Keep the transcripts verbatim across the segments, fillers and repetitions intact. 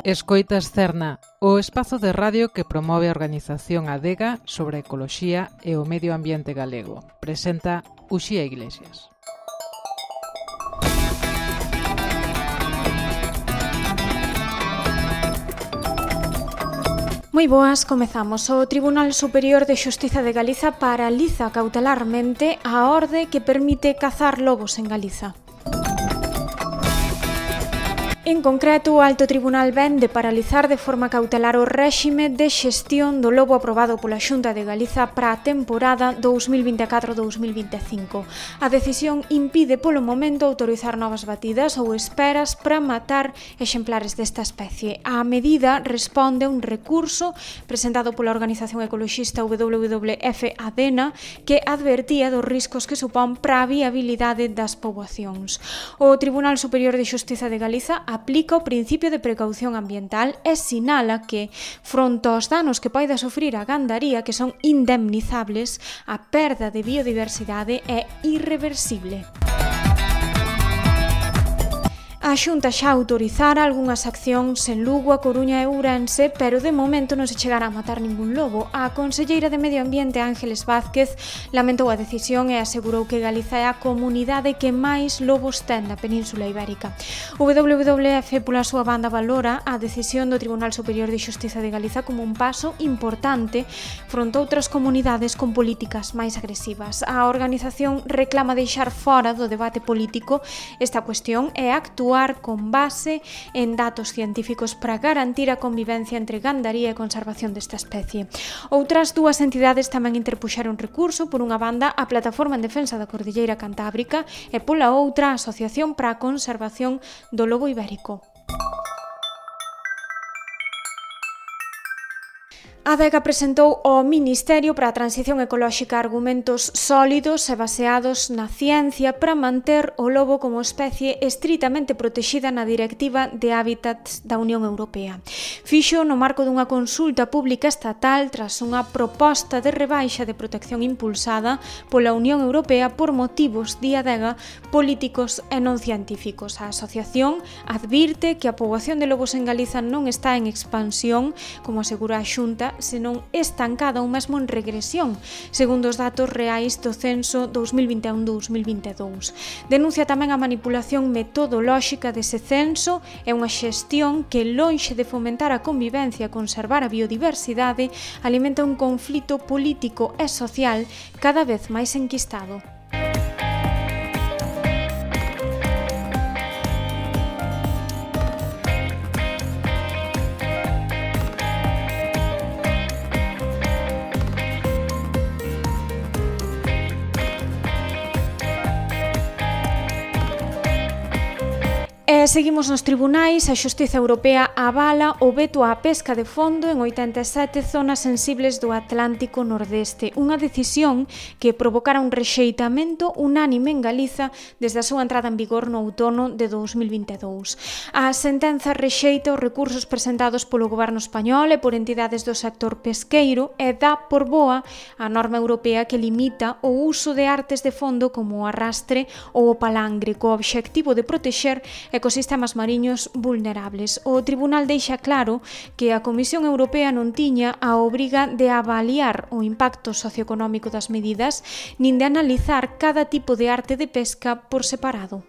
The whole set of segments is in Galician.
Escoitas Cerna, o espazo de radio que promove a organización Adega sobre a ecoloxía e o medio ambiente galego. Presenta Uxía Iglesias. Moi boas, comezamos. O Tribunal Superior de Xustiza de Galiza paraliza cautelarmente a orde que permite cazar lobos en Galiza. En concreto, o Alto Tribunal ven de paralizar de forma cautelar o réxime de xestión do lobo aprobado pola Xunta de Galiza para a temporada dous mil vinte e catro dous mil vinte e cinco. A decisión impide polo momento autorizar novas batidas ou esperas para matar exemplares desta especie. A medida responde a un recurso presentado pola organización ecoloxista W W F Adena que advertía dos riscos que supón para a viabilidade das poboacións. O Tribunal Superior de Xustiza de Galiza aplica o principio de precaución ambiental e sinala que, fronte aos danos que poida sufrir a gandaría que son indemnizables, a perda de biodiversidade é irreversible. A Xunta xa autorizara algunhas accións en Lugo, A Coruña e Ourense, pero de momento non se chegará a matar ningún lobo. A conselleira de Medio Ambiente, Ángeles Vázquez, lamentou a decisión e asegurou que Galiza é a comunidade que máis lobos ten na Península Ibérica. O W W F, pola súa banda, valora a decisión do Tribunal Superior de Xustiza de Galiza como un paso importante fronte a outras comunidades con políticas máis agresivas. A organización reclama deixar fora do debate político esta cuestión e actuar con base en datos científicos para garantir a convivencia entre gandaría e conservación desta especie. Outras dúas entidades tamén interpuxeron recurso, por unha banda a Plataforma en Defensa da Cordilleira Cantábrica e pola outra a Asociación para a Conservación do Lobo Ibérico. A Adega presentou ao Ministerio para a Transición Ecolóxica argumentos sólidos e baseados na ciencia para manter o lobo como especie estritamente protexida na Directiva de Hábitats da Unión Europea. Fixo no marco dunha consulta pública estatal tras unha proposta de rebaixa de protección impulsada pola Unión Europea por motivos, di Adega, políticos e non científicos. A asociación advirte que a poboación de lobos en Galiza non está en expansión, como asegura a Xunta, senón estancada ou mesmo en regresión, segundo os datos reais do censo dous mil vinte e un dous mil vinte e dous. Denuncia tamén a manipulación metodolóxica dese censo e unha xestión que, lonxe de fomentar a convivencia e conservar a biodiversidade, alimenta un conflito político e social cada vez máis enquistado. E seguimos nos tribunais. A Xustiza Europea avala o veto á pesca de fondo en oitenta e sete zonas sensibles do Atlántico Nordeste, unha decisión que provocara un rexeitamento unánime en Galiza desde a súa entrada en vigor no outono de dous mil vinte e dous. A sentenza rexeita os recursos presentados polo goberno español e por entidades do sector pesqueiro e dá por boa a norma europea que limita o uso de artes de fondo como o arrastre ou o palangre, co obxectivo de protexer ecosistemas mariños vulnerables. O Tribunal deixa claro que a Comisión Europea non tiña a obriga de avaliar o impacto socioeconómico das medidas nin de analizar cada tipo de arte de pesca por separado.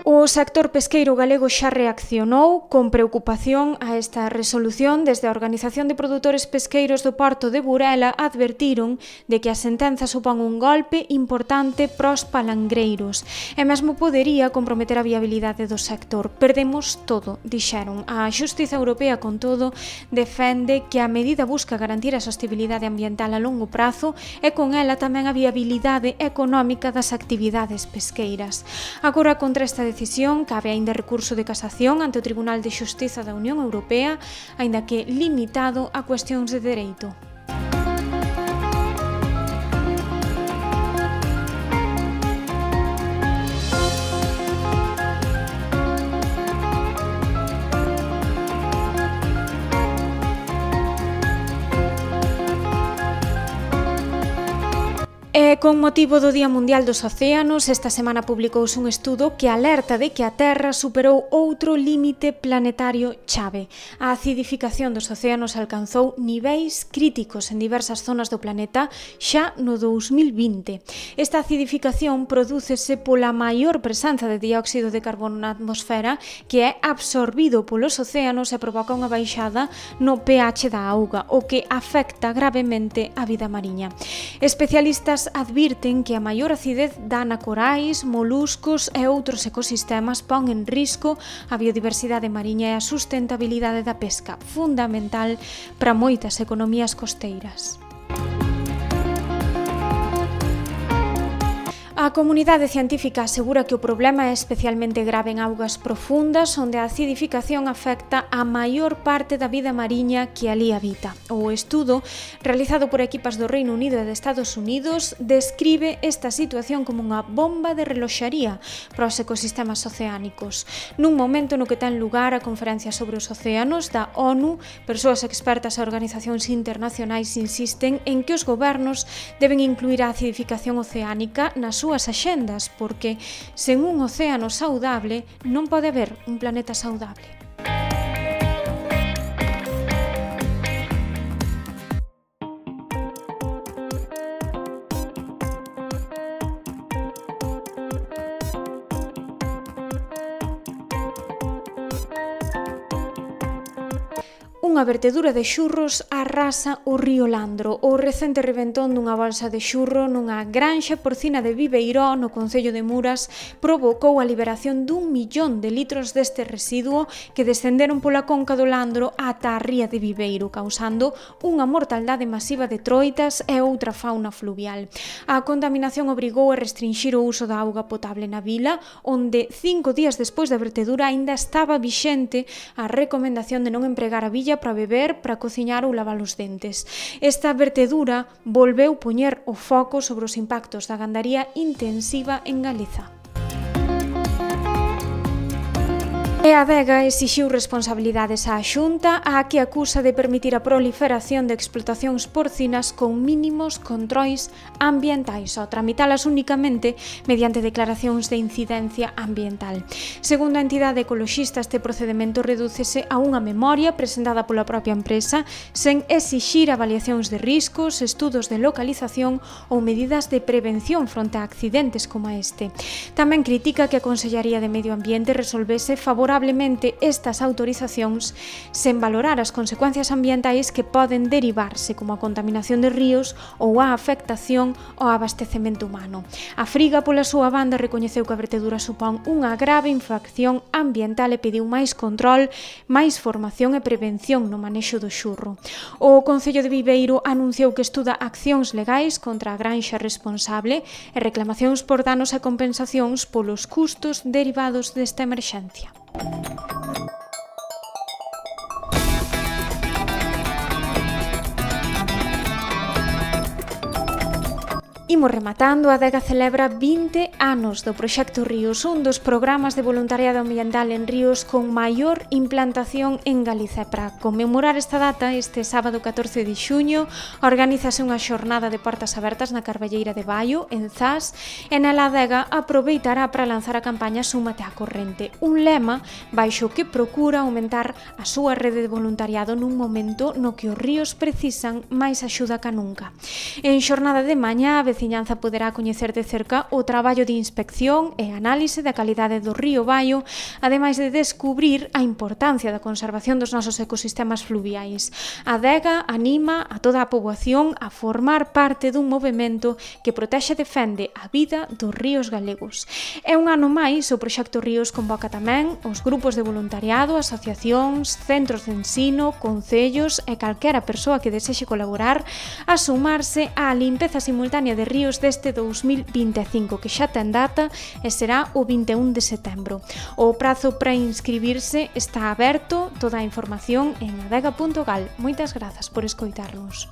O sector pesqueiro galego xa reaccionou con preocupación a esta resolución. Desde a Organización de Produtores Pesqueiros do Porto de Burela advertiron de que a sentenza supón un golpe importante pros palangreiros e mesmo podería comprometer a viabilidade do sector. Perdemos todo, dixeron. A Xustiza Europea, con todo, defende que a medida busca garantir a sostenibilidade ambiental a longo prazo e con ela tamén a viabilidade económica das actividades pesqueiras. Agora, contra esta decisión cabe aínda recurso de casación ante o Tribunal de Xustiza da Unión Europea, aínda que limitado a cuestións de dereito. E con motivo do Día Mundial dos Océanos, esta semana publicouse un estudo que alerta de que a Terra superou outro límite planetario chave. A acidificación dos océanos alcanzou niveis críticos en diversas zonas do planeta xa no dous mil vinte. Esta acidificación prodúcese pola maior presenza de dióxido de carbono na atmosfera, que é absorbido polos océanos e provoca unha baixada no pH da auga, o que afecta gravemente a vida mariña. Especialistas advirten que a maior acidez dana corais, moluscos e outros ecosistemas, pon en risco a biodiversidade mariña e a sustentabilidade da pesca, fundamental para moitas economías costeiras. A comunidade científica asegura que o problema é especialmente grave en augas profundas, onde a acidificación afecta a maior parte da vida mariña que ali habita. O estudo, realizado por equipas do Reino Unido e de Estados Unidos, describe esta situación como unha bomba de reloxaría para os ecosistemas oceánicos. Nun momento no que ten lugar a conferencia sobre os océanos da ONU, persoas expertas e organizacións internacionais insisten en que os gobernos deben incluir a acidificación oceánica nas súas axendas, porque sen un océano saudable non pode haber un planeta saudable. Unha vertedura de xurros arrasa o río Landro. O recente reventón dunha balsa de xurro nunha granxa porcina de Viveiró, no concello de Muras, provocou a liberación dun millón de litros deste residuo que descenderon pola conca do Landro ata a ría de Viveiro, causando unha mortaldade masiva de troitas e outra fauna fluvial. A contaminación obrigou a restringir o uso da auga potable na vila, onde cinco días despois da vertedura aínda estaba vixente a recomendación de non empregar a villa para beber, para cociñar ou lavar os dentes. Esta vertedura volveu poñer o foco sobre os impactos da gandaría intensiva en Galiza. E a Adega exixiu responsabilidades á Xunta, a que acusa de permitir a proliferación de explotacións porcinas con mínimos controis ambientais, ao tramitalas únicamente mediante declaracións de incidencia ambiental. Segundo a entidade ecoloxista, este procedemento redúcese a unha memoria presentada pola propia empresa sen exixir avaliacións de riscos, estudos de localización ou medidas de prevención fronte a accidentes como este. Tamén critica que a Consellaría de Medio Ambiente resolvese favorablemente estas autorizacións sen valorar as consecuencias ambientais que poden derivarse, como a contaminación de ríos ou a afectación ao abastecemento humano. A Friga, pola súa banda, recoñeceu que a vertedura supón unha grave infracción ambiental e pediu máis control, máis formación e prevención no manexo do xurro. O Concello de Viveiro anunciou que estuda accións legais contra a granxa responsable e reclamacións por danos e compensacións polos custos derivados desta emerxencia. Imos rematando. A Adega celebra vinte anos do Proxecto Ríos, un dos programas de voluntariado ambiental en ríos con maior implantación en Galiza. Para conmemorar esta data, este sábado catorce de xuño, organízase unha xornada de portas abertas na Carballeira de Baio, en Zas, e nela a Adega aproveitará para lanzar a campaña Súmate á Corrente, un lema baixo que procura aumentar a súa rede de voluntariado nun momento no que os ríos precisan máis axuda ca nunca. En xornada de mañá, a veciñanza poderá coñecer de cerca o traballo de inspección e análise da calidade do río Baio, ademais de descubrir a importancia da conservación dos nosos ecosistemas fluviais. A Adega anima a toda a poboación a formar parte dun movemento que protexe e defende a vida dos ríos galegos. É un ano máis, o Proxecto Ríos convoca tamén os grupos de voluntariado, asociacións, centros de ensino, concellos e calquera persoa que desexe colaborar a sumarse á limpeza simultánea de ríos deste dous mil vinte e cinco, que xa ten data e será o vinte e un de setembro. O prazo para inscribirse está aberto, toda a información en adega punto gal. Moitas grazas por escoitarnos.